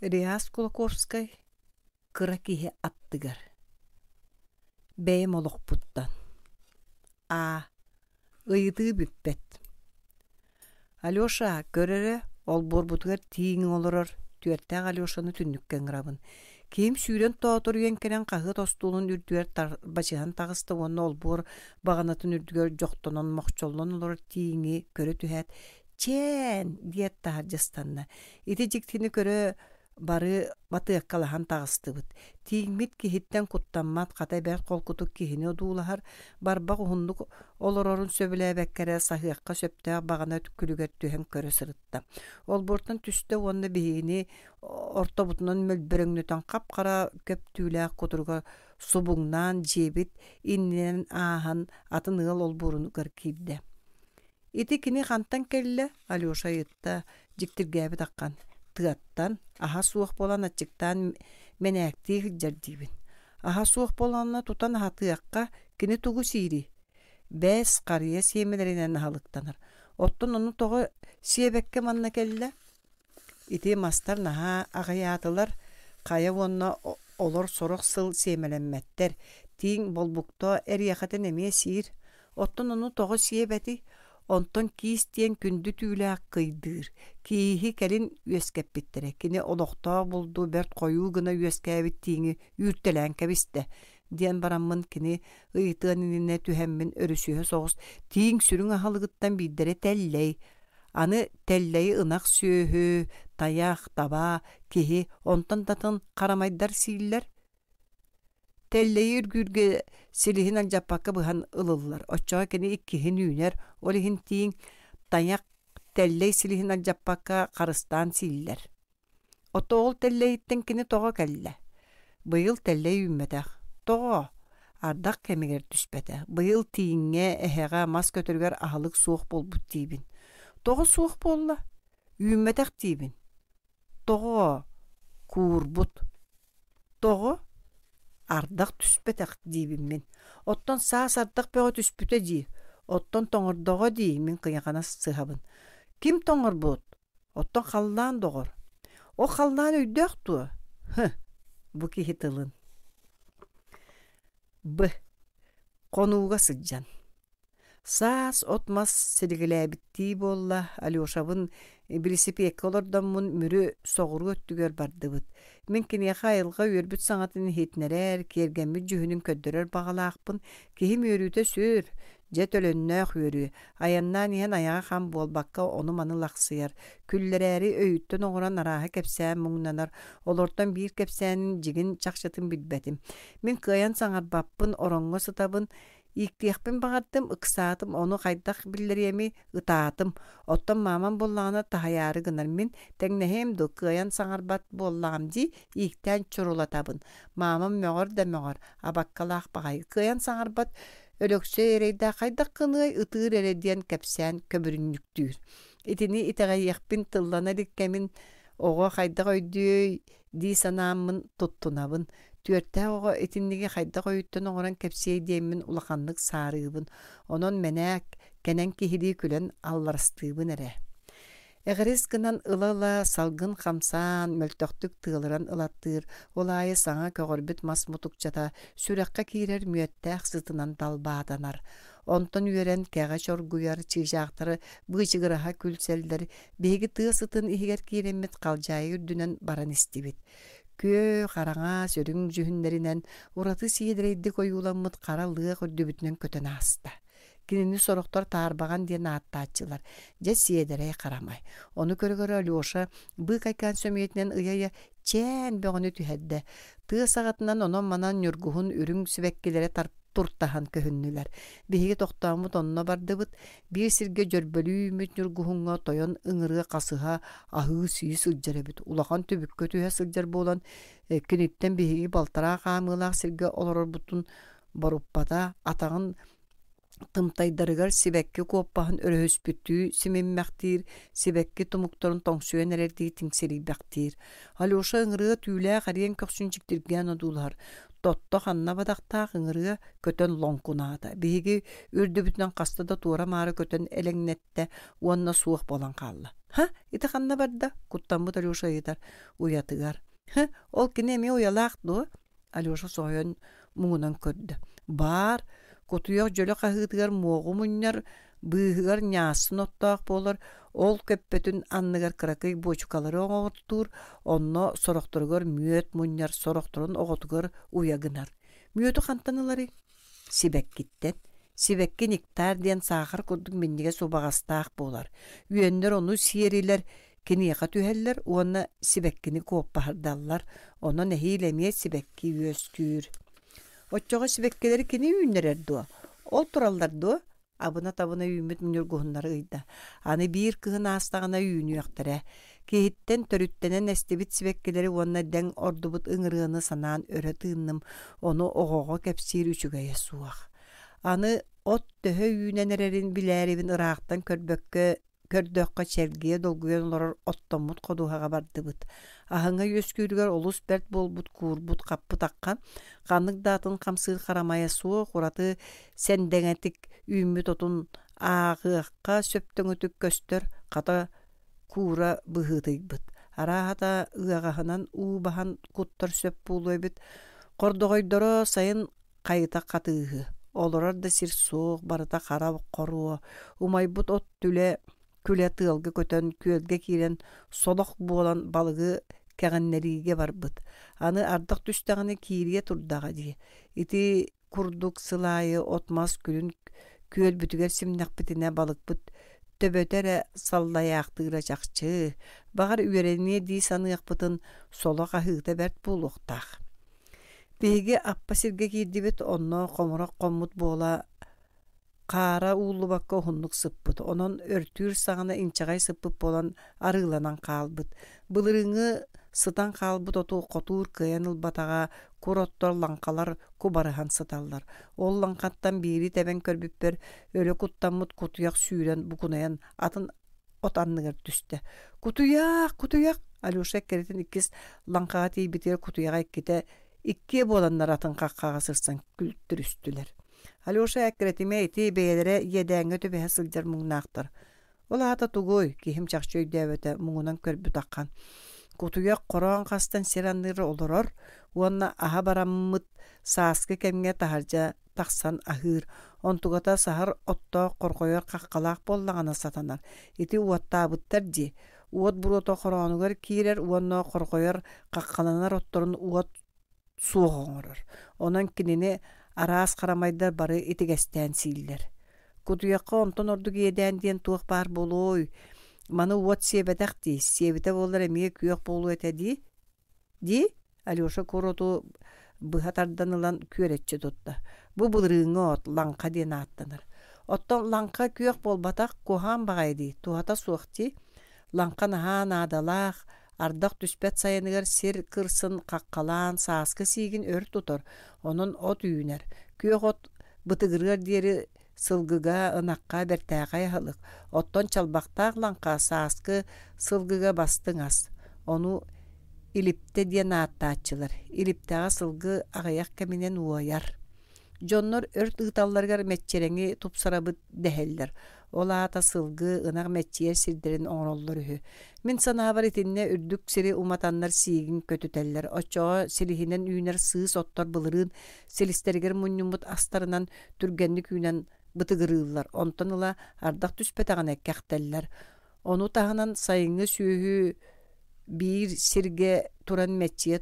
Реас Кулаковскай Кыра киһи аттыгар Бэйэм олохпуттан А. Ыйытыы бүппэт Алеша, көр эрэ, олбуорбутугар тииҥ олорор, түөртээх Алешаны түннүккэ ыҥырабын. Киһим сүүрэн тооторуйан кэлэн хаһыат остуолун үрдүгэр тарбачыһан таҕыста уонна олбуор баҕанатын үрдүгэр дьохтонон мохчоллон олорор тииҥи көрө түһээт, «Чээн!» диэт таһырдьа ыстанна. Ити дьиктини көрө бары батыаккалаһан таҕыстыбыт. Тииҥмит киһиттэн куттаммат, хата бэрт холкутук киһини одуулаһар, барбах уһуннук олорорун сөбүлээбэккэ эрэ саһыахха сөптөөх баҕана күлүгэр түһэн көрө сырытта. Олбуортан түстэ уонна биһигини ортобутунан мөлбөрөҥнөтөн хап-хара көп түүлээх кутуруга субуҥнаан дьиэбит иннинэн ааһан атын ыал олбуорунугар киирдэ. Ити кини хантан кэллэ? Алеша ыйытта, дьиктиргээбит аххан. Тыаттан, аһа суох буолан аччыктаан мэнээктии сылдьар диибин. Аһа суох буоллаҕына тутан аһатыахха, кини тугу сиирий? Бэс, харыйа сиэмэлэринэн аһылыктанар. Оттон ону тоҕо сиэбэккэ манна кэллэ? Ити мастар наһаа аҕыйаатылар, хайа уонна олор сорох сыл сиэмэлэммэттэр, тииҥ болбукта эриэхэтин эмиэ сиир. Оттон ону тоҕо сиэбэтий? Онтон киис диэн күндү түүлээх кыйдыыр. Кииһи кэлин үөскэппиттэрэ. Кини олохтоох булду бэрт хойуу гына үөскээбит тииҥи үүртэлээн кэбистэ диэн бараммын кини ыйытыан иннинэ түһэммин өрүсүһэ соҕус тииҥ сүрүн аһылыгыттан биирдэрэ тэллэй Аны тэллэйи ынах сүөһү, тайах, таба, киһи, онтон да атын харамайдар сииллэр. Тэллэйи үргүүргэ силиһин алдьаппакка быһан ылыллар. Оччоҕо кини иккиһин үүнэр, ол иһин тииҥ, тайах тэллэй силиһин алдьаппакка харыстаан сииллэр. Ото ол тэллэйиттэн кини тоҕо кэллэ? Быйыл тэллэй үүммэтэх. Тоҕо? Ардах кэмигэр түспэтэ. Быйыл тииҥҥэ, эһэҕэ, мас көтөрүгэр аһылык суох буолбут диибин. Тоҕо суох буолла? Үүммэтэх диибин. Тоҕо? Куурбут. Тоҕо? Ардах түспэтэх диибин мин. Оттон саас ардах бөҕө түспүтэ дии. Оттон тоҥордоҕо дии мин кыйахана сыһабын. Ким тоҥорбут? Оттон халлаан доҕор, ол халлаан өйдөөх дуо? Һы, бу киһи тылын. Б. Хонууга сылдьан. Саас от-мас силигилээбиттии буолла, Алешабын билисипиэккэ олордоммун Мүрү соҕуруу өттүгэр бардыбыт. Мин киниэхэ айылҕа үөрбүт саҥатын иһитинэрэр, киэргэммит дьүһүнүн көрдөрөр баҕалаахпын. Киһим үөрүүтэ сүр, Дьэ төлөннөөх үөрүү, айаннаан иһэн айаҕа хам буолбакка ону-маны лахсыйар, күллэрээри өйүттэн оҥорон арааһы кэпсээн муҥнанар, олортон биир кэпсээнин дьиҥин чахчытын билбэтим. Мин кыайан саҥарбаппын, ороҥҥо сытабын, ииктиэхпин баҕардым, ыксаатым, ону хайдах биллэриэмий, ытаатым. Оттон маамам буоллаҕына таһыйаары гынар, мин тэҥнэһиэм дуо, кыайан саҥарбат буоллаҕым дии, ииктээн чурулатабын. Маамам мөҕөр да мөҕөр, абаккалаах баҕайы, кыайан саҥарбат Өлөксөй эрэйдээх хайдах гыныай, ытыыр эрэ диэн кэпсээн көбүрүнньүктүүр. Итини итэҕэйиэхпин тыллана илик кэмин оҕо хайдах өйдүөй дии санааммын туттунабын. Түөртээх оҕо итинниги хайдах өйүттэн оҥорон кэпсиэй диэммин улаханнык саарыыбын. Онон мэнээк, кэнэн киһилии күлэн алларастыыбын эрэ. Эҕирис гынан ыла-ыла салгын хамсаан, мөлтөхтүк тыалыран ылаттыыр, ол аайы саҥа көҕөрбүт мас мутукчата сүрэххэ киирэр мүөттээх сытынан далбаатанар. Онтон үөрэн кэҕэ чоргуйар, чыычаахтары быычыгыраһа күлсэллэр, биһиги тыа сытын иһигэр киирэммит халдьаайы үрдүнэн баран истибит. Күөх, араҥас, үрүҥ дьүһүннэринэн ураты сиэдэрэйдик ойууламмыт хара лыах үрдүбүтүнэн көтөн ааста. Кинини сорохтор таарбаҕан диэн ааттааччылар. Дьэ сиэдэрэй харамай. Ону көрө-көрө Алеша быыкайкаан сөмүйэтинэн ыйа-ыйа чээн бөҕөнү түһэрдэ. Тыа саҕатынан онон-манан ньургуһун үрүҥ сибэккилэрэ туртаһан көһүннүлэр. Биһиги тохтооммут онно бардыбыт. Биир сиргэ дьөрбөлүү үүммүт ньургуһуҥҥа тойон ыҥырыа хасыһа аһыы-сии сылдьар эбит. Улахан түбүккэ түһэ сылдьар буолан, киниттэн биһиги балтараа хаамыылаах сиргэ олорорбутун боруппата, атаҕын тымтайдарыгар сибэкки куоппаһын өрөһүспүттүү симиммэхтиир, сибэкки тумуктарын тоҥсуйан эрэрдии тиҥсирийбэхтиир. Алеша ыҥырыа түүлээх эриэн көхсүн дьиктиргээн одуулаһар. Тотто ханна бадахтаах ыҥырыа көтөн лоҥкунаата. Биһиги үрдүбүтүнэн хаста да туора-маары көтөн элэҥнэттэ уонна суох буолан хаалла. «Һа, ити ханна барда?» куттаммыт Алеша ыйытар. «Уйатыгар». «Һы, ол кини эмиэ уйалаах дуо?» Алеша соһуйан муҥунан көрдө. «Баар, кутуйах дьөлө хаһыытыгар муоҕу мунньар, быыһыгар ньаассын оттоох буолар, ол көппөтүн анныгар кыракый буочукалары оҥортуур, онно сорохторугар мүөт мунньар, сорохторун оҕотугар уйа гынар. Мүөтү хантан ыларый? Сибэккиттэн. Сибэкки нектар диэн саахар курдук минньигэс убаҕастаах буолар. Үөннэр ону сиэрилэр, киниэхэ түһэллэр уонна сибэккини куоппаһырдаллар, онон эһиил эмиэ сибэкки үөскүүр. Оччоҕо сибэккилэри кини үүннэрэр дуо? Ол тураллар дуо? Абына-табына үүммүт ньургуһуннары ыйда. Аны биир кыһын аастаҕына үүнүөхтэрэ. Киһиттэн төрүттэнэн эстибит сибэккилэри уонна дэҥ ордубут ыҥырыаны санаан өрө тыынным, ону оҕоҕо кэпсиир үчүгэйэ суох. Аны от төһө үүнэн эрэрин билээрибин ыраахтан көрбөккө көрдөххө чэлгийэ долгуйан олорор оттоммут ходуһаҕа бардыбыт. Аһыҥа үөскүүрүгэр олус бэрт буолбут куурбут хаппыт аххан, ханнык да атын хамсыыр харамайа суох ураты сэндэҥэтик үүммүт отун ааҕыахха сөптөҥүтүк көстөр, хата куура быһыытыйбыт. Арааһата ыаҕаһынан уу баһан куттар сөп буолуо эбит. Хордоҕойдоро сайын хайыта хатыыһы, олорор да сир суох, барыта хара хоруо, умайбыт от түлэ күлэ тыалга көтөн, күөлгэ киирэн солох буолан балыгы кэҕиннэриигэ барбыт. Аны ардах түстэҕинэ киириэ турдаҕа дии. Ити курдук сыл аайы от-мас күлүн күөлбүтүгэр симнэхпитинэ балыкпыт төбөтө эрэ саллайаахтыыра чахчы. Баҕар үөрэниэ дии саныахпытын соло хаһыыта бэрт буолуохтаах. Биһиги аппа сиргэ киирдибит, онно хомурах хоммут буола хаара ууллубакка уһуннук сыппыт, онон өртүүр саҕана инчэҕэй сыппыт буолан арыыланан хаалбыт. Былырыыҥҥы сытан хаалбыт оту хотуур кыайан ылбатаҕа, кур оттор лаҥхалар кубарыһан сыталлар. Ол лаҥхаттан биири тэбэн көрбүппэр өлө куттаммыт кутуйах сүүрэн букунайан атын от анныгар түстэ. «Кутуйах, кутуйах!» Алеша эккирэтин иккис лаҥхаҕа тиийбитигэр кутуйаҕа иккитэ иккиэ буоланнар атын хаххаҕа сырсан күлтүрүстүлэр. Алеша эккирэтимэ ити бэйэлэрэ иэдээҥҥэ түбэһэ сылдьар муҥнаахтар. Ол аата тугуй? Киһим чахчы өйдөөбөтө, муҥунан көрбүт аххан. Кутуйах хороон хастан сир анныгар олорор уонна аһа бараммыт сааскы кэмҥэ таһырдьа тахсан аһыыр, онтугата саһар оттоох хорҕойор хаххалаах буоллаҕына сатанар. Ити уоттаабыттар дии. Уот буруота хороонугар киирэр уонна хорҕойор хаххаланар отторун уот суох оҥорор. Онон кинини араас харамайдар бары итигэстээн сииллэр. Кутуйахха онтон ордук иэдээн диэн туох баар буолуой? Маны уот сиэбэтэх дии, сиэбитэ буоллар эмиэ күөх буолуо этэ дии. Дии, Алеша кур оту быһа тардан ылан күөрэччи тутта. Бу былырыыҥҥы от, лаҥха диэн ааттанар. Оттон лаҥха күөх буолбатах, куһаҕан баҕайы дии, туһата суох дии. Лаҥха наһаа наадалаах, ардах түспэт сайыныгар сир кырсын хаххалаан сааскы сиигин өр тутар, онон от үүнэр. Күөх от бытыгырыар диэри сылгыга, ынахха бэртээхэй аһылык, оттон чалбахтаах лаҥха сааскы сылгыга бастыҥ ас. Ону илиптэ диэн ааттааччылар. Илиптэҕэ сылгы аҕыйах кэминэн уойар. Дьоннор өрт ыыталларыгар мэччирэҥи тупсарабыт дэһэллэр. Ол аата сылгы, ынах мэччийэр сирдэрин оҥороллор үһү. Мин санаабар итиннэ үрдүк сири уматаннар сиигин көтүтэллэр. Оччоҕо силиһинэн үүнэр сыыс оттор былырыын силистэригэр мунньуммут астарынан түргэнник үүнэн бытыгырыыллар, онтон ыла ардах түспэтэҕинэ кэхтэллэр. Ону таһынан сайыҥҥы сүөһү биир сиргэ туран мэччийэ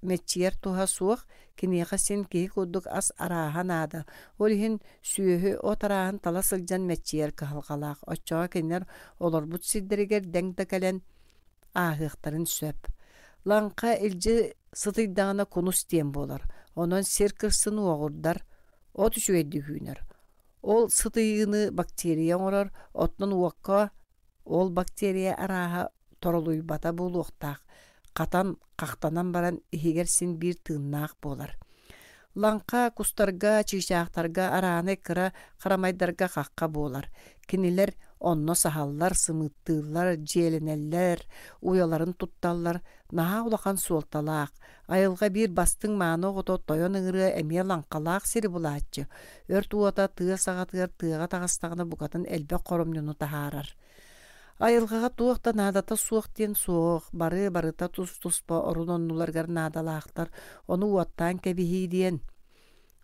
мэччийэр туһа суох, киниэхэ син киһи курдук ас арааһа наада. Ол иһин сүөһү от арааһын тала сылдьан мэччийэр кыһалҕалаах. Оччоҕо кинилэр олорбут сирдэригэр дэҥ да кэлэн ааһыахтарын сөп. Лаҥха илдьи сытыйдаҕына кунус диэн буолар. Онон сир кырсын уоҕурдар, от үчүгэйдик үүнэр. Ол сытыйыыны бактерия оҥорор, оттон уокка ол бактерия арааһа торолуйбата буолуохтаах, хатан, хахтанан баран иһигэр син биир тыыннаах буолар. Лаҥха кустарга, чыычаахтарга, араанай кыра харамайдарга хахха буолар. Кинилэр Онно саһаллар, сымыыттыыллар, дьиэлэнэллэр, уйаларын тутталлар. Наһаа улахан суолталаах. Айылҕа биир бастыҥ мааны оҕото тойон ыҥырыа эмиэ лаҥхалаах сири булааччы. Өрт уота тыа саҕатыгар тыаҕа таҕыстаҕына букатын элбэх хоромньуну таһаарар. Айылҕаҕа туох да наадата суох диэн суох, бары барыта тус-туспа орун-оннуларыгар наадалаахтар, ону уоттаан кэбиһии диэн.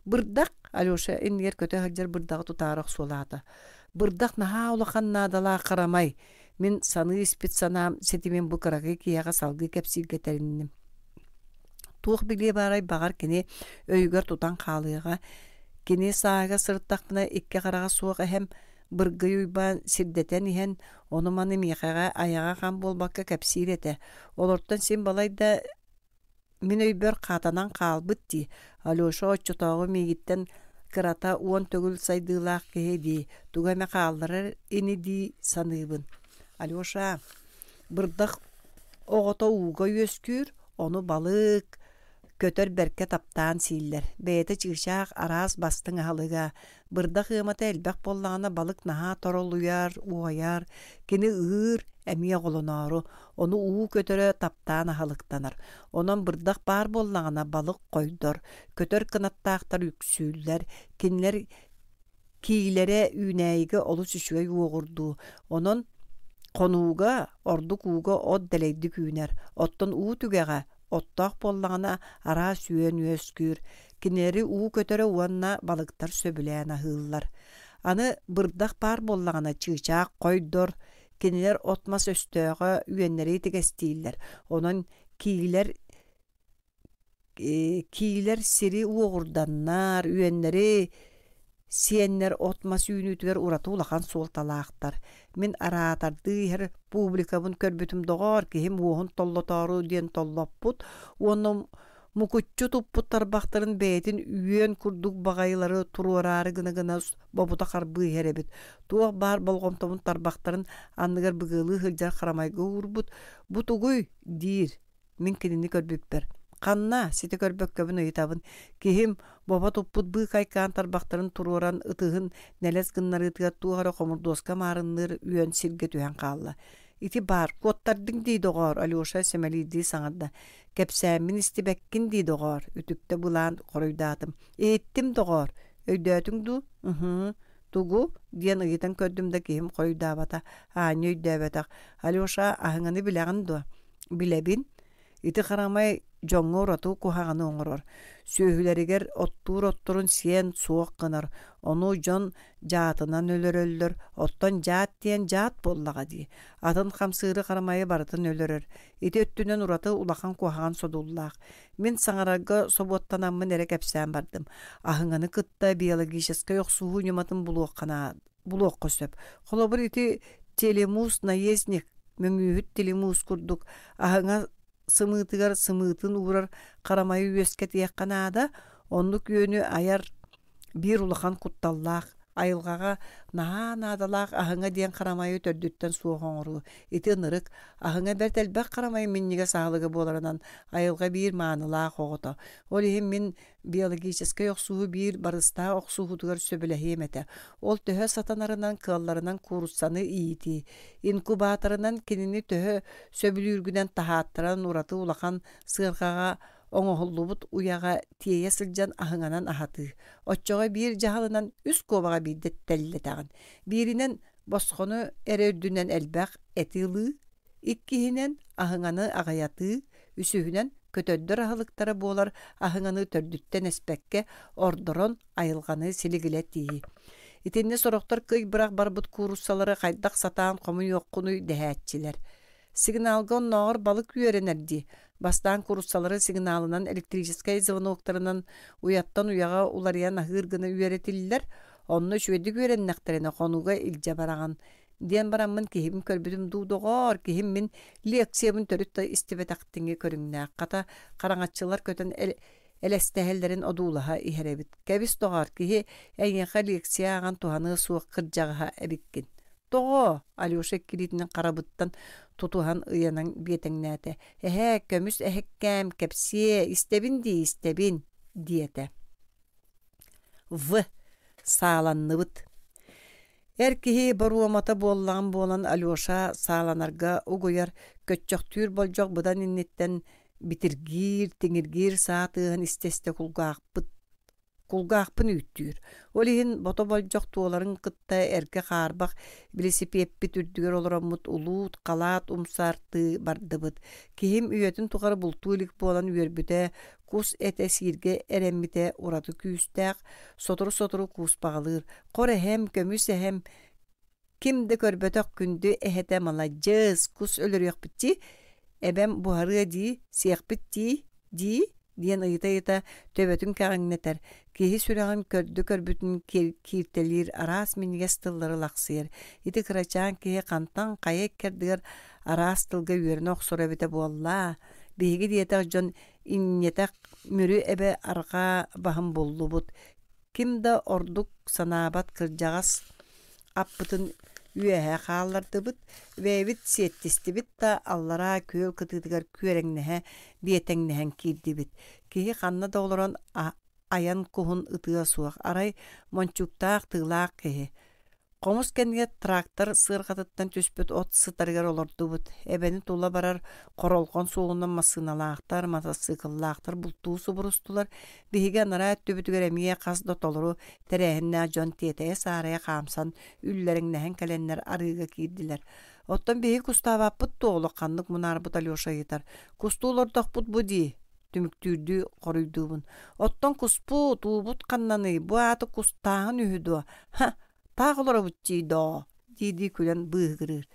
Бырдах, Алеша иннигэр көтө сылдьар бырдаҕы тутаары охсуолаата. Бырдах наһаа улахан наадалаах харамай. Мин саныы испит санаам ситимин бу кыракый киһиэхэ салгыы кэпсииргэ тэринним. Туох билиэ баарай баҕар кини өйүгэр тутан хаалыаҕа. Кини сааһыгар сырыттахпына икки хараҕа суох эһэм Быргый Уйбаан сирдэтэн иһэн ону-маны миэхэҕэ айаҕа хам буолбакка кэпсиир этэ. Олортон син балайда мин өйбөр хаатанан хаалбыт дии. Алеша оччотооҕу миигиттэн кырата 10 төгүл сайдыылаах киһи дии, тугу эмэ хаалларар ини дии саныыбын. Алеша, бырдах оҕото ууга үөскүүр, ону балык, көтөр бэркэ таптаан сииллэр. Бэйэтэ чыычаах араас бастыҥ аһылыга, Бырдах ыамата элбэх буоллаҕына балык наһаа торолуйар, уойар, кини ыыр, эмиэ оҕолоноору, ону уу көтөрө таптаан аһылыктанар. Онон бырдах баар буоллаҕына балык хойдор, көтөр кынаттаахтар үксүүллэр, кинилэр киилэрэ үүнээйигэ олус үчүгэй уоҕурдуу. Онон хонууга, ордук ууга от дэлэйдик үүнэр, оттон уу түгэҕэ Оттоох буоллаҕына араас үөн үөскүүр, кинилэри уу көтөрө уонна балыктар сөбүлээн аһыыллар. Аны бырдах баар буоллаҕына чыычаах хойдор, кинилэр от-мас өстөөҕө үөннэри итигэстииллэр, онон киилэр киилэр сири уоҕурданнар, үөннэри Сиэннэр от-мас үүнүүтүгэр ураты улахан суолталаахтар. Мин араатардыы иһэр публикабын көрбүтүм доҕоор, киһим уоһун толлотоору диэн толлоппут уонна мукуччу туппут тарбахтарын бэйэтин үөн курдук баҕайылары туруораары гына-гына бобута харбыы иһэр эбит. Туох баар болҕомтобун тарбахтарын анныгар быгыалыы сылдьар харамайга уурбут. «Бу тугуй?» диир. Мин кинини көрбүппэр: «Ханна?» ситэ көрбөккөбүн ыйытабын. Киһим бобо туппут быыкайкаан тарбахтарын туруоран ытыһын нэлэс гыннарыытыгар туох эрэ хомурдуоска маарынныыр үөн сиргэ түһэн хаалла. «Ити баар, куоттардыҥ дии, доҕоор», Алеша сэмэлиирдии саҥарда. «Кэпсээммин истибэккин дии, доҕоор», үтүктэ былаан хоруйдаатым. «Иһиттим, доҕоор. Өйдөөтүҥ дуу?» «Ыһыы. Тугу?» диэн ыйытан көрдүм да киһим хоруйдаабата, аанньа өйдөөбөтөх. «Алеша, аһыҥаны билэҕин дуо?» Билэбин, ити харамай дьоҥҥо ураты куһаҕаны оҥорор, сүөһүлэригэр оттуур отторун сиэн суох гынар, ону дьон дьаатынан өлөрөллөр, оттон дьаат диэн дьаат буоллаҕа дии, атын хамсыыры харамайы барытын өлөрөр, ити өттүнэн ураты улахан куһаҕан содуллаах. Мин саҥарарга собуоттанаммын эрэ кэпсээн бардым. Аһыҥаны кытта биологическай охсуһуу ньыматын булуохха наада булуохха сөп. Холобур, ити телемуус наездник, мөҥүүһүт телемуус курдук аһыҥа сымыытыгар сымыытын уурар харамайы үөскэтиэххэ наада. Оннук үөнү айар биир улахан кутталлаах айылҕаҕа наһаа наадалаах аһыҥа диэн харамайы төрдүттэн суох оҥоруу. Ити ынырык аһыҥа бэрт элбэх харамай минньигэс аһылыга буоларынан айылҕа биир маанылаах оҕото. Ол иһин мин биологическай охсуһуу биир барыстаах охсуһуутугар сөбүлэһиэм этэ. Ол төһө сатанарынан, кыалларынан кууруссаны иитии, инкубаторынан кинини төһө сөбүлүүргүнэн таһааттаран ураты улахан сыарҕаҕа оҥоһуллубут уйаҕа тиэйэ сылдьан аһыҥанан аһатыы. Оччоҕо биир дьаһалынан үс куобаҕа биирдэ тэллэтэҕин. Бииринэн босхону эрэ үрдүнэн элбэх эти ылыы, иккиһинэн аһыҥаны аҕыйатыы, үсүһүнэн көтөрдөр аһылыктара буолар аһыҥаны төрдүттэн эспэккэ ордорон айылҕаны силигилэтии. Итиннэ сорохтор кый бырах барбыт кууруссалары хайдах сатаан хомуйуоххунуй дэһээччилэр. Сигналга оннооҕор балык үөрэнэр дии. Бастаан кууруссалары сигналынан электрическэй звоноктарынан уйаттан уйаҕа уларыйан аһыыр гына үөрэтиллэр. Онно үчүгэйдик үөрэннэхтэринэ хонууга илдьэ бараҕын диэн бараммын киһибин көрбүтүм дуу, доҕоор, киһим мин лекциябын төрүт да истибэтэхтиҥи көрүҥнээх, хата хараҥаччылар көтөн элэстэһэллэрин одуулаһа иһэр эбит. Кэбис, доҕоор, киһи эйиэхэ лекция ааҕан туһаныа суох кырдьаҕаһа эбиккин. Тоҕо? Алеша иккилиитинэн харабыттан тутуһан ыйанан биэтэҥнээтэ. Эһээ, көмүс эһэккээм, кэпсиэ, истэбин дии, истэбин, диэтэ. В. Сааланныбыт. Эр киһи боруомата буоллаҕым буолан Алеша сааланарга угуйар, көччөхтүүр болдьох быдан инниттэн битиргиир, тиҥиргиир саа тыаһын истэ-истэ кулгаахпыт кулгаахпын үүттүүр. Ол иһин бото болдьох туоларын кытта эргэ хаарбах билисипиэппит үрдүгэр олороммут улуут, халаат умсаартыы бардыбыт. Киһим үйэтин тухары бултуу илик буолан үөрбүтэ, кус этэ сииргэ эрэммитэ ураты күүстээх, сотору-сотору кууспаҕалыыр. Хор эһэм, көмүс эһэм, ким да көрбөтөх күндү эһэтэ маладьыас, кус өлөрүөхпүт дии, эбэм буһарыа дии, сиэхпит дии, дии диэн ыйыта-ыйыта төбөтүн кэҕиҥнэтэр, киһи сүрэҕин көрдө-көрбүтүн кииртэлиир араас минньигэс тыллары лахсыйар. Ити кырачаан киһи хантан хайа иккэрдигэр араас тылга үөрэнэ охсоро эбитэ буоллаа. Биһиги диэтэх дьон инньэтэх Мүрү эбэ арҕаа баһын буллубут. Ким да ордук санаабат кырдьаҕас аппытын үөһэ хааллардыбыт, бэйэбит сиэттистибит да аллараа күөл кытыытыгар күөрэҥнэһэ биэтэҥнэһэн киирдибит. Киһи ханна да олорон айан куһун ытыа суох, арай мончууктаах тыылаах киһи Хомус кэннигэр трактор сыарҕатыттан түспүт от сытарыгар олордубут. Эбэни тула барар хоролҕон суолунан массыыналаахтар, матасыыкыллаахтар бултуу субурустулар. Биһиги анараа өттүбүтүгэр эмиэ хас да толору тэрээһиннээх дьон тиэтэйэ-саарайа хаамсан, үллэриҥнэһэн кэлэннэр арыыга киирдилэр. Оттон биһиги кустаабаппыт дуо улаханнык мунаарбыт Алеша ыйытар. Кустуу олордохпут бу дии түмүктүүрдүү хоруйдуубун. Оттон куспут, уубут ханнаный, бу ааты кустааһын үһү дуо? Ха, таах олоробут дии доо, дии-дии күлэн быыһыгырыыр.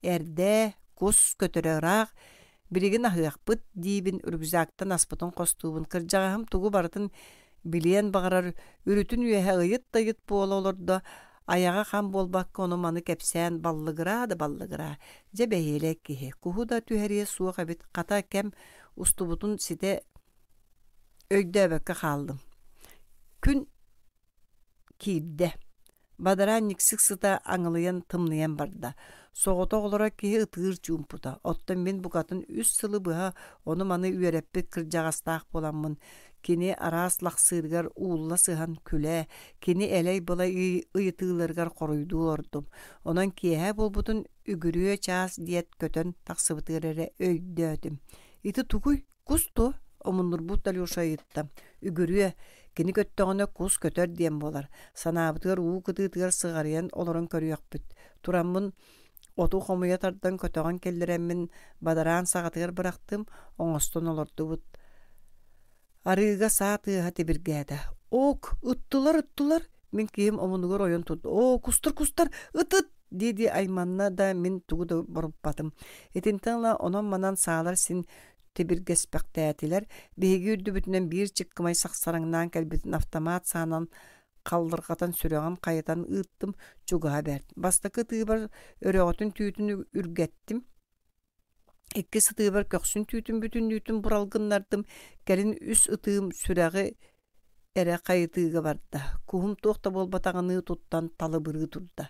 Эрдэ, кус көтөрө ыраах, билигин аһыахпыт диибин рюкзактан аспытын хостуубун. Кырдьаҕаһым тугу барытын билиэн баҕарар, үрүтүн үөһэ ыйыт да ыйыт буола олордо, айаҕа хам буолбакка ону-маны кэпсээн баллыгыраа да баллыгыраа. Дьэ бэһиэлэй киһи, куһу да түһэриэ суох эбит, хата кэм устубутун ситэ өйдөөбөккө хааллым. Күн киирдэ. Бадараан никсик сыта аҥылыйан тымныйан барда. Соҕотох олорор киһи ытыыр чуумпута. Оттон мин букатын үс сылы быһа ону-маны үөрэппит кырдьаҕастаах буоламмын, кини араас лахсыырыгар уулла сыһан күлэ, кини элэй-былай ыйытыыларыгар хоруйдуу олордум. Онон киэһэ буолбутун үгүрүө чаас диэт көтөн тахсыбытыгар эрэ өйдөөтүм. Ити тугуй? Кус дуо? Омуннурбут Алеша ыйытта. Үгүрүө, кини көттөҕүнэ кус көтөр диэн буолар. Санаабытыгар уу кытыытыгар сыҕарыйан олорон көрүөхпүт. Тураммын оту хомуйа тардан көтөҕөн киллэрэммин бадараан саҕатыгар бырахтым, оҥостон олордубут. Арыыга саа тыаһа тибиргээтэ. Ок, ыттылар, ыттылар! Мин киһим омунугар ойон турда. Оо, кустар, кустар, ыт-ыт! дии-дии айманна да мин тугу да боруппатым. Итинтэн ыла онон-манан саалар син тибиргэспэхтээтилэр. Биһиги үрдүбүтүнэн биир чыккымай сахсараҥнаан кэлбитин автомат саанан халлырҕатан сүрэҕин хайытан ыыттым, чугаһа бэрт. Бастакы ытыыбар өрөҕөтүн түүтүн үргэттим. Иккис ытыыбар көхсүн түүтүн бүтүннүүтүн буралгыннардым, кэлин үс ытыым сүрэҕи эрэ хайытыыга барда, куһум туох да буолбатаҕыныы туттан талыбырыы турда.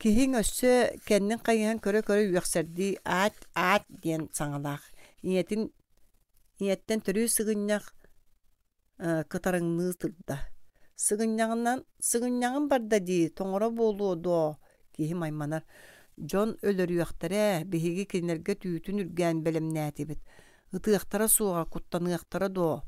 Киһиҥ өссө кэннин хайыһан көрө-көрө үөхсэрдии «аат, аат» диэн саҥалаах. Ийэтин ийэттэн төрүү сыгынньах кытарыҥныы турда. Сыгынньаҕынан сыгынньаҕым барда дии, тоҥоро буолуо дуо киһим айманар. Дьон өлөрүөхтэрэ, биһиги кинилэргэ түүтүн үргээн бэлэмнээтибит. Ытыахтара суоҕа, куттаныахтара дуо?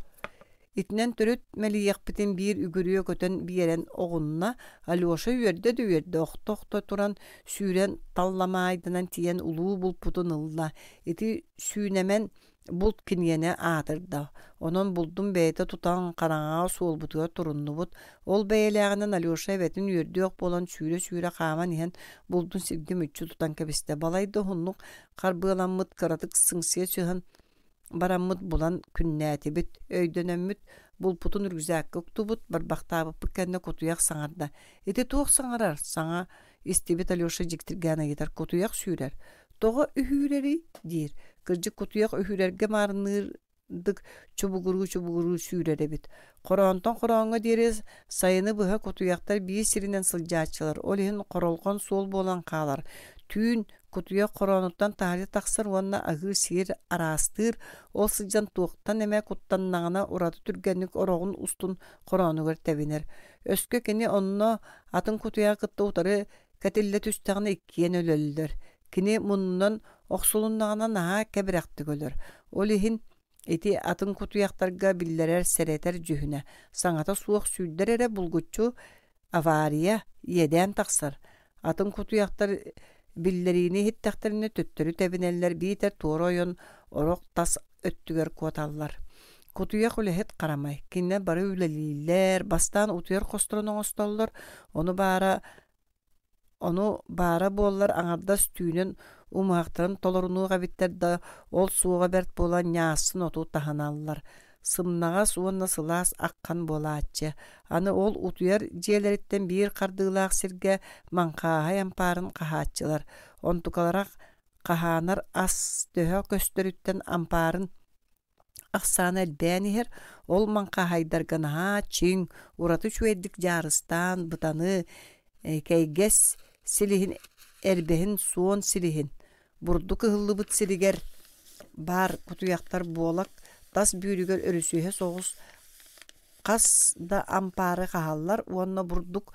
Итинэн төрүт мэлийиэхпитин биир үгүрүө көтөн биэрэн оҕунна, Алеша үөрдэ да үөрдэ, охто-охто туран сүүрэн талламаайданан тиийэн улуу булпутун ылла. Ити сүүнэмэн Булт киниэнэ аатырда, онон булдун бэйэтэ тутан хараҥаҕа суолбутугар туруннубут. Ол бэйэлээҕинэн Алеша эбэтин үөрдүөх буолан сүүрэ-сүүрэ хааман иһэн булдун сиргэ мүччү тутан кэбистэ. Балайда уһуннук харбыаламмыт, кыратык сыҥсыйа түһэн бараммыт булан күннээтибит. Өйдөнөммүт булпутун рюкзакка уктубут, барбахтаабыппыт кэннэ кутуйах саҥарда. «Ити туох саҥарар?» саҥа истибит Алеша дьиктиргээн ыйытар. «Кутуйах сүүрэр. Тоҕо үһүүрэрий?» диир. Кырдьык кутуйах үһүүрэргэ маарынныырдык чубугуруу-чубугуруу сүүрэр эбит. Хороонтон хорооҥҥо диэри сайыны быһа кутуйахтар биир сиринэн сылдьааччылар, ол иһин хоролҕон суол буолан хаалар. Түүн кутуйах хороонуттан таһырдьа тахсар уонна аһыыр-сиир араастыыр, ол сылдьан туохтан эмэ куттаннаҕына ураты түргэнник ороҕун устун хороонугар тэбинэр. Өскө кини онно атын кутуйаҕы кытта утары кэтиллэ түстэҕинэ иккиэн өлөллөр. Кини муннунан охсулуннаҕына наһаа кэбирэхтик өлөр. Ол иһин ити атын кутуйахтарга биллэрэр сэрэтэр дьүһүнэ, саҥата суох сүүрдэр эрэ булгуччу авария, иэдээн тахсар. Атын кутуйахтар биллэриини иһиттэхтэринэ төттөрү тэбинэллэр биитэр туора ойон орох тас өттүгэр куоталлар. Кутуйах үлэһит харамай. Кинилэр бары үлэлииллэр, бастаан утуйар хосторун оҥостоллор, ону баара Ону баара буоллар аҥардас түүнүн умуһахтарын толорунуох эбиттэр да, ол суоҕа бэрт буолан ньаассын оту таһыналлар. Сымнаҕас уонна сылаас аххан буолааччы. Аны ол утуйар дьиэлэриттэн биир хардыылаах сиргэ маҥхааһай ампаарын хаһааччылар. Онтукалара хаһаанар ас төһө көстөрүттэн ампаарын Ахсаана элбээн иһэр, ол маҥхааһайдарга наһаа чиҥ, ураты үчүгэйдик дьаарыстаан бытаны, кэйгэс силиһин эрбэһин суон силиһин, бурдук ыһыллыбыт сиригэр баар кутуйахтар буолак тас бүүрүгэр өрүсүһэ соҕус Хас да ампаары хаһаллар уонна бурдук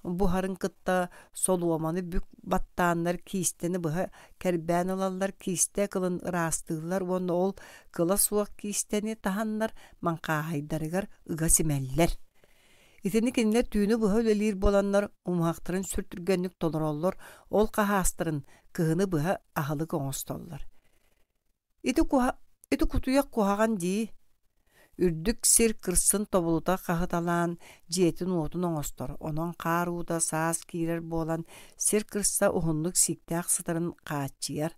буһарын кытта солуоманы бүк баттааннар киистэни быһа кэрбээн ылаллар, киистэ кылын ыраастыыллар уонна ол кыла суох киистэни таһаннар маҥхааһайдарыгар ыга симэллэр. Итини кинилэр түүнү быһа үлэлиир буоланнар умуһахтарын сүр түргэнник толороллор, ол хаһаастарын кыһыны быһа аһылык оҥостоллор. Ити, куһа... Ити кутуйах куһаҕан дии Үрдүк сир кырсын тобулута хаһыталаан дьиэтин-уотун оҥостор, онон хаар уута саас киирэр буолан сир кырса уһуннук сииктээх сытарын хааччыйар.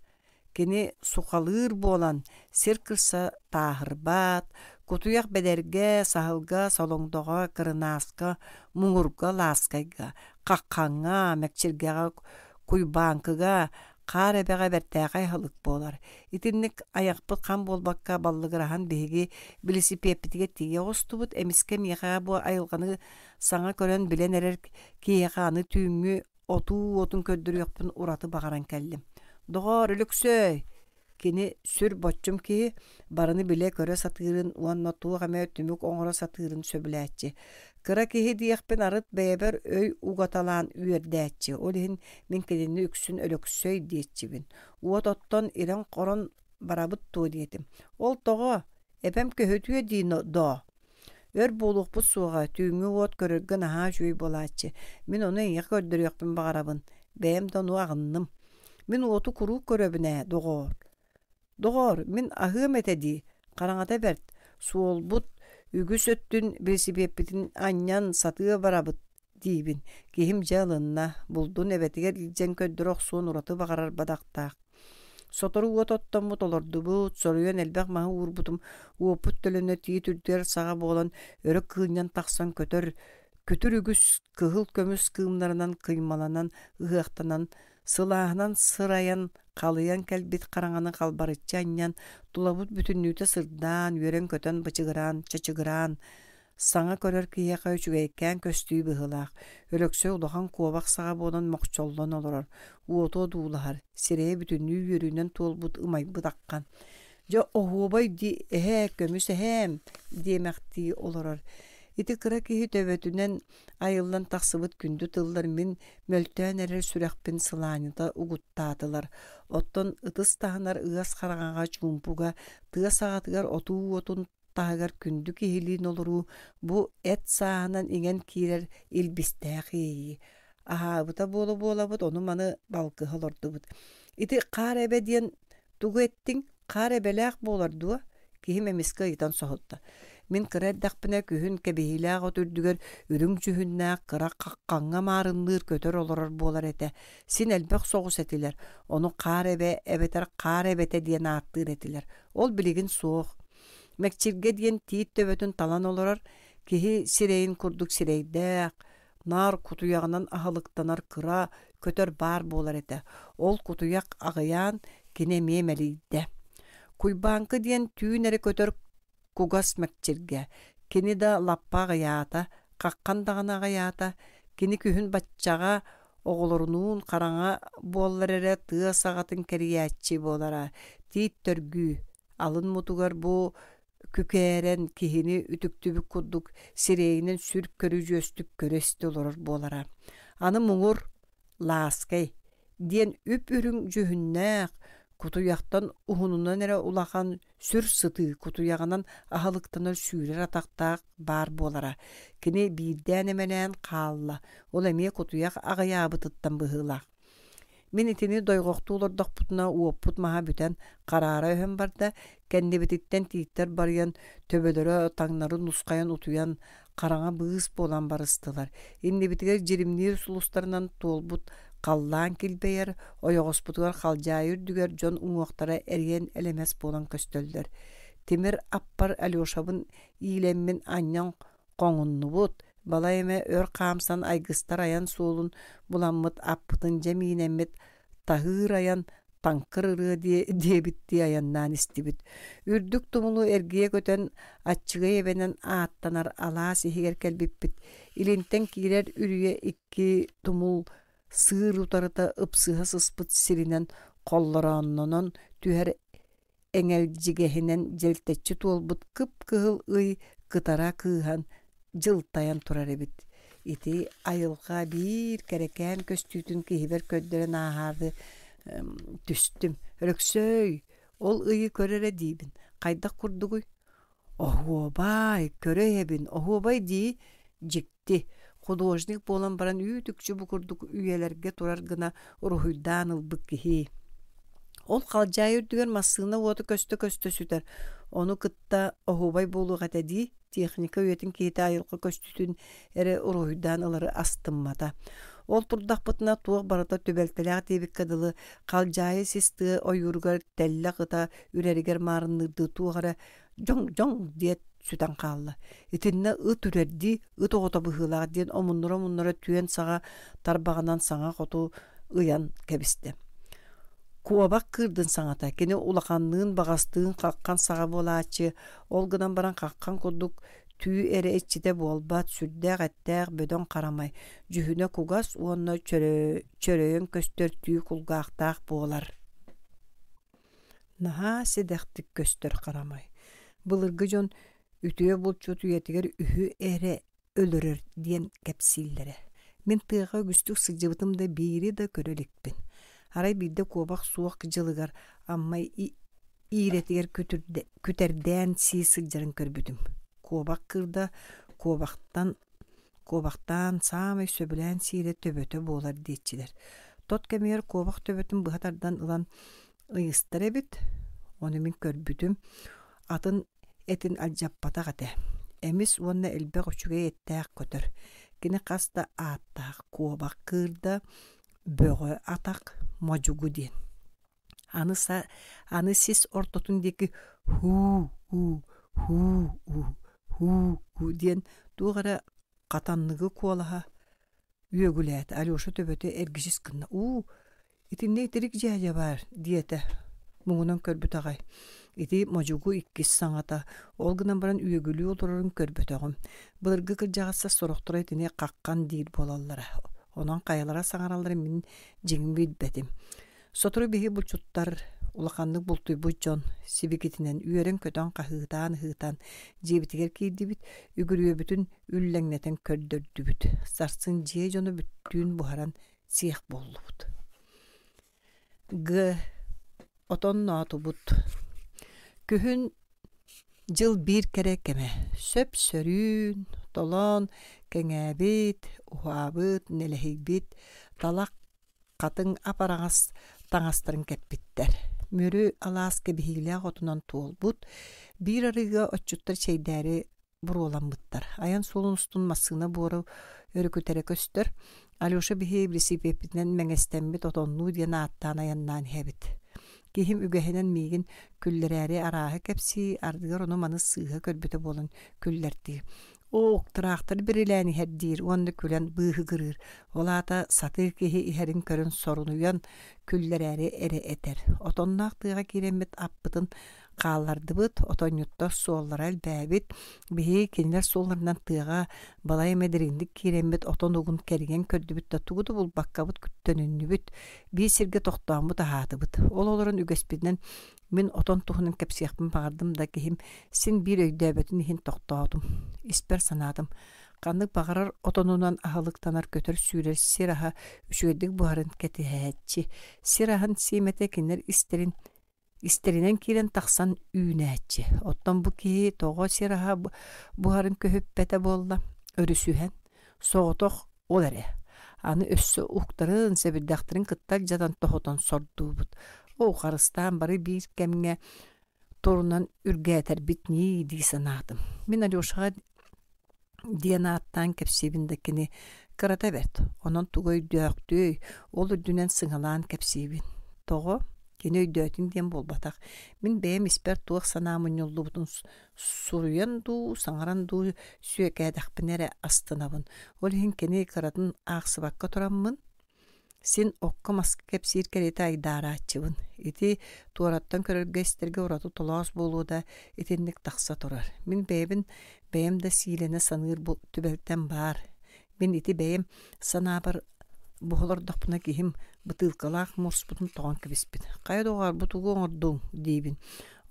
Кини сухалыыр буолан сир кырса тааһырбат, кутуйах бэдэргэ, саһылга, солоҥдоҕо, кырынааска, муҥурга, лааскайга, хаххаҥҥа, мэкчиргэҕэ, куйбааҥкыга, Хаар эбэҕэ бэртээхэй аһылык буолар. Итинник айахпыт хам буолбакка баллыгыраһан биһиги билисипиэппитигэр тиийэ оҕустубут. Эмискэ миэхэ бу айылҕаны саҥа көрөн билэн эрэр киһиэхэ аны түүҥҥү отуу уотун көрдөрүөхпүн ураты баҕаран кэллим. Доҕоор, Өлөксөөй! Кини сүр боччум киһи, барыны билэ-көрө сатыырын уонна туох эмэ түмүк оҥоро сатыырын сөбүлээччи. Кыра киһи диэхпин арыт бэйэбэр өй угаталаан үөрдээччи, ол иһин мин кинини үксүн Өлөксөй диэччибин. Уот оттон ирэн-хорон барабыт дуо диэтим. Ол тоҕо? Эбэм көһүтүө дии доо. Өр буолуохпут суоҕа, түүҥҥү уот көрөргө наһаа үчүгэй буолааччы. Мин ону эйиэхэ көрдөрүөхпүн баҕарабын. Бэйэм да ону аҕынным. Мин уоту куруук көрөбүн ээ, доҕоор. Доҕоор, мин аһыам этэ дии, хараҥата бэрт, суолбут үгүс өттүн билисипиэппитин анньан сатыы барабыт диибин. Киһим дьэ ылынна, булдун эбэтигэр илдьэн көрдөрө охсуон ураты баҕарар бадахтаах. Сотору уот оттоммут олордубут, соруйан элбэх маһы уурбутум, уоппут төлөнө тиит үрдүгэр саҕа буолан өрө кыынньан тахсан көтөр, күтүр үгүс кыһыл көмүс кыымнарынан кыймаланан, ыһыахтанан, сылааһынан сырайан, халыйан кэлбит хараҥаны халбарыччы анньан, тулабыт бүтүннүүтэ сырдаан, үөрэн-көтөн бычыгыраан, чачыгыраан, Саҥа көрөр киһиэхэ үчүгэйкээн көстүү быһыылаах, Өлөксөй улахан куобах саҕа буолан мохчоллон олорор, уоту одуулаһар, сирэйэ бүтүннүү үөрүүнэн туолбут ымайбыт аххан. «Дьэ оһуобай дии эһээ, көмүс эһээм» диэмэхтии олорор. Ити кыра киһи төбөтүнэн айыллан тахсыбыт күндү тыллар мин мөлтөөн эрэр сүрэхпин сылаанньыта угуттаатылар. Оттон ытыс таһынар ыас хараҥаҕа чуумпуга тыа саҕатыгар отуу уотун таһыгар күндү киһилиин олоруу бу эт сааһынан иҥэн киирэр илбистээх иэйии. Аһаабыта буола-буолабыт ону-маны балкыһа олордубут. Ити хаар эбэ диэн тугу эттиҥ? Хаар эбэлээх буолар дуо? Киһим эмискэ ыйытан соһутта. Мин кыра эрдэхпинэ күһүн кэбиһиилээх от үрдүгэр үрүҥ дьүһүннээх кыра хаххаҥҥа маарынныыр көтөр олорор буолар этэ. Син элбэх соҕус этилэр. Ону хаар эбэ эбэтэр хаар эбэтэ диэн ааттыыр этилэр. Ол билигин суох. Мэкчиргэ диэн тиит төбөтүн талан олорор, киһи сирэйин курдук сирэйдээх, наар кутуйаҕынан аһылыктанар кыра көтөр баар буолар этэ. Ол кутуйах аҕыйаан, кини эмиэ мэлийдэ. Куйбааҥкы диэн түүн эрэ көтөр кугас мэкчиргэ. Кини да лаппа аҕыйаата, хаххан даҕаны аҕыйаата. Кини күһүн баччаҕа Оҕолорунуун хараҥа буоллар эрэ тыа саҕатын кэрийээччи буолара. Тиит төргүү, алын мутугар бу күкээрэн киһини үтүктүбүт курдук сирэйинэн сүр көрүдьүөстүк көрө-истэ олорор буолара. Аны муҥур Лааскай диэн үп-үрүҥ дьүһүннээх, кутуйахтан уһунунан эрэ улахан сүр сытыы кутуйаҕынан аһылыктанар сүүрэр атахтаах баар буолара. Кини биирдээн эмэлээн хаалла, ол эмиэ кутуйах аҕыйаабытыттан быһыылаах. Мин итини дойҕохтуу олордохпутуна уоппут маһа бүтэн хараара өһөн барда, кэннибититтэн тииттэр барыйан, төбөлөрө таҥнары нусхайан утуйан, хараҥа быыс буолан барыстылар. Иннибитигэр дьиримниир сулустарынан туолбут халлаан килбэйэр, ойоҕоспутугар халдьаайы үрдүгэр дьон уҥуохтара эриэн элэмэс буолан көстөллөр. Тимир аппар Алешабын иилэммин анньан хоҥуннубут, балай эмэ өр хаамсан айгыстар айан суолун буламмыт аппытын дьэ миинэммит таһыыр айан таҥкыр ырыа диэбиттии айаннаан истибит. Үрдүк тумулу эргийэ көтөн Аччыгый эбэнэн ааттанар алаас иһигэр кэлбиппит. Илинтэн киирэр үрүйэ икки тумул сыыр утарыта ыпсыһа сыспыт сиринэн холлорооннонон түһэр эҥэлдьигэһинэн дьэлтэччи туолбут кып-кыһыл ый кытара кыыһан дьылтайан турар эбит. Ити айылҕа биир кэрэкээн көстүүтүн киһибэр көрдөрөн ааһаары түстүм. Өлөксөөй, ол ыйы көр эрэ диибин. Хайдах курдугуй? Оһуобай, көрө иһэбин, оһуобай дии, дьикти. Художник буолан баран үүт-үкчү бу курдук үйэлэргэ турар гына уруһуйдаан ылбыт киһи. Ол халдьаайы үрдүгэр массыына уота көстө-көстө сүтэр, ону кытта оһуобай буолуох этэ дии, техника үйэтин киһитэ айылҕа көстүүтүн эрэ уруһуйдаан ылары астыммата. Ол турдахпытына туох барыта түбэлтэлээх диэбиккэ дылы, халдьаайы сис тыа ойууругар тэллэх ыта үрэригэр маарынныырдыы туох эрэ дьоҥ-дьоҥ диэт сүтэн хаалла. Итиннэ ыт үрэрдии ыт оҕото быһыылаах диэн омуннура-омуннура түөн саҕа тарбаҕынан саҥа хоту ыйан кэбистэ. Куобах кыырдын саҥата кини улаханныын баҕастыын хаххан саҕа буолааччы, ол гынан баран хаххан курдук түү эрэ иччитэ буолбат, сүрдээх эттээх бөдөҥ харамай, дьүһүнэ кугас уонна чөрөйөн көстөр түү кулгаахтаах буолар. Наһаа сэдэхтик көстөр харамай. Былыргы дьон үтүө булчут үйэтигэр үһү эрэ өлөрөр диэн кэпсииллэрэ. Мин тыаҕа үгүстүк сылдьыбытым да биири да көрө иликпин. Арай биирдэ куобах суох дьылыгар Амма иирэтигэр күтэрдээн сии сылдьарын көрбүтүм. Куобах кыырда куобахтан Куобахтаан саамай сөбүлээн сиирэ төбөтө буолар диэччилэр. Тот кэмигэр куобах төбөтүн быһа тардан ылан ыйыстар эбит, ону мин көрбүтүм, атын этин алдьаппатах этэ. Эмис уонна элбэх үчүгэй эттээх көтөр. Кини хас да ааттаах куобах кыырда, бөҕө атах, модьугу диэн. Аны, аны сис ортотун диэки һуу-һуу, һуу-һуу, һуу-һуу диэн туох эрэ хатанныгы куолаһа үөгүлээтэ. Алеша төбөтө эргичис гынна: «Уу, итиннэ итирик дьээдьэ баар» диэтэ муҥунан көрбүт аҕай. Ити модьугу иккис саҥата, ол гынан баран үөгүлүү олорорун көрбөтөҕүм. Былыргы кырдьаҕастар сорохторо итини хаххан диир буолаллара. Онон хайалара саҥаралларын мин дьиҥин билбэтим. Сотору биһи булчуттар, улаханнык бултуйбут дьон сибикитинэн үөрэн-көтөн хаһыытаан-ыһыытаан дьиэбитигэр киирдибит, үгүрүөбүтүн үллэҥнэтэн көрдөрдүбүт. Сарсын дьиэ дьоно бүттүүн буһаран сиэх буоллубут. Г. Отонноотубут. Күһүн дьыл биир кэрэ кэмэ. Сөп-сөрүүн, толоон, кэҥээбит, уһаабыт, нэлэһийбит, талах хатыҥ ап-араҥас таҥастарын кэппиттэр. Мүрү алаас кэбиһиилээх отунан туолбут, биир арыыга отчуттар чэйдээри буруоламмыттар. Айан суолун устун массыына буора өрүкүтэрэ көстөр. Алеша биһи билисипиэппитинэн мэҥэстэммит отоннуу диэн ааттаан айаннаан иһэбит. Киһим үгэһинэн миигин күллэрээри арааһы кэпсии, ардыгар ону-маны сыыһа көрбүтэ буолан күллэртиир. Оок, тыраахтар бирилээн иһэр диир уонна күлэн быыһыгырыыр. Ол аата сатыы киһи иһэрин көрөн сорунуйан, күллэрээри эрэ этэр. Отонноох тыаҕа киирэммит аппытын хааллардыбыт, отонньуттар суоллара элбээбит. Биһиги кинилэр суолларынан тыаҕа балай эмэ дириҥник киирэммит отон угун кэрийэн көрдүбүт да тугу да булбаккабыт төнүннүбүт. Биир сиргэ тохтооммут аһаатыбыт. Ол олорон үгэспитинэн мин отон туһунан кэпсиэхпин баҕардым да киһим син биир өйдөөбөтүн иһин тохтоотум. Испэр санаатым, ханнык баҕарар отонунан аһылыктанар көтөр-сүүрэр сир аһа үчүгэйдик буһарын кэтэһээччи. Сир аһын сиэмэтэ кинилэр истэрин истэринэн киирэн тахсан үүнээччи. Оттон бу киһи тоҕо сир аһа буһарын көһүппэтэ буолла, өрүсүһэн, соҕотох ол эрэ. Аны өссө уктарын, сэбирдэхтэрин кытта алдьатан тоһутан сордуубут. Оо, харыстаан бары биир кэмҥэ турунан үргээтэрбит ньии дии санаатым. Мин Алешаҕа диэн ааттаан кэпсиибин да кини кырата бэрт, онон тугу өйдөөхтүөй, ол үрдүнэн сыҥалаан кэпсиибин. Тоҕо? Кини өйдөөтүн диэн буолбатах. Мин бэйэм испэр туох санаа мунньуллубутун суруйан дуу, саҥаран дуу сүөкээтэхпинэ эрэ астынабын. Ол иһин кини кыратын аахсыбакка тураммын, Син окко-маска кэпсиир кэриэтэ айдаарааччыбын. Ити туораттан көрөргө-истэргэ ураты толоос буолуо да итинник тахса турар. Мин бэйэбин бэйэм да сиилэнэ саныыр бу түбэлтэм баар. Мин ити бэйэм санаабар буһа олордохпуна киһим бытыылкалаах муоспутун тоҕон кэбиспит. «Хайа доҕоор, бу тугу оҥордуҥ?» диибин.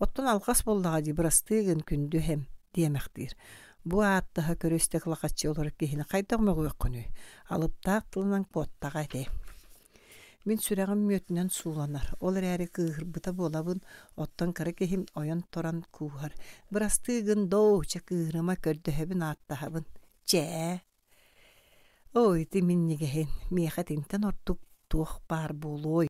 «Оттон алҕас буоллаҕа дии, бырастыы гын, күндү эһэм» диэмэхтиир. Бу ааттаһа көрө-истэ кылахаччы олорор киһини хайдах мөҕүөххүнүй? Алыптаах тылынан куоттаҕа ити. Мин сүрэҕим мүөтүнэн сууланар, ол эрээри кыыһырбыта буолабын, оттон кыра киһим ойон туран кууһар: «Бырастыы гын доо, чэ кыыһырыма, көрдөһөбүн, ааттаһабын. Чээ!» Оо, ити минньигэһин, миэхэ итинтэн ордук туох баар буолуой?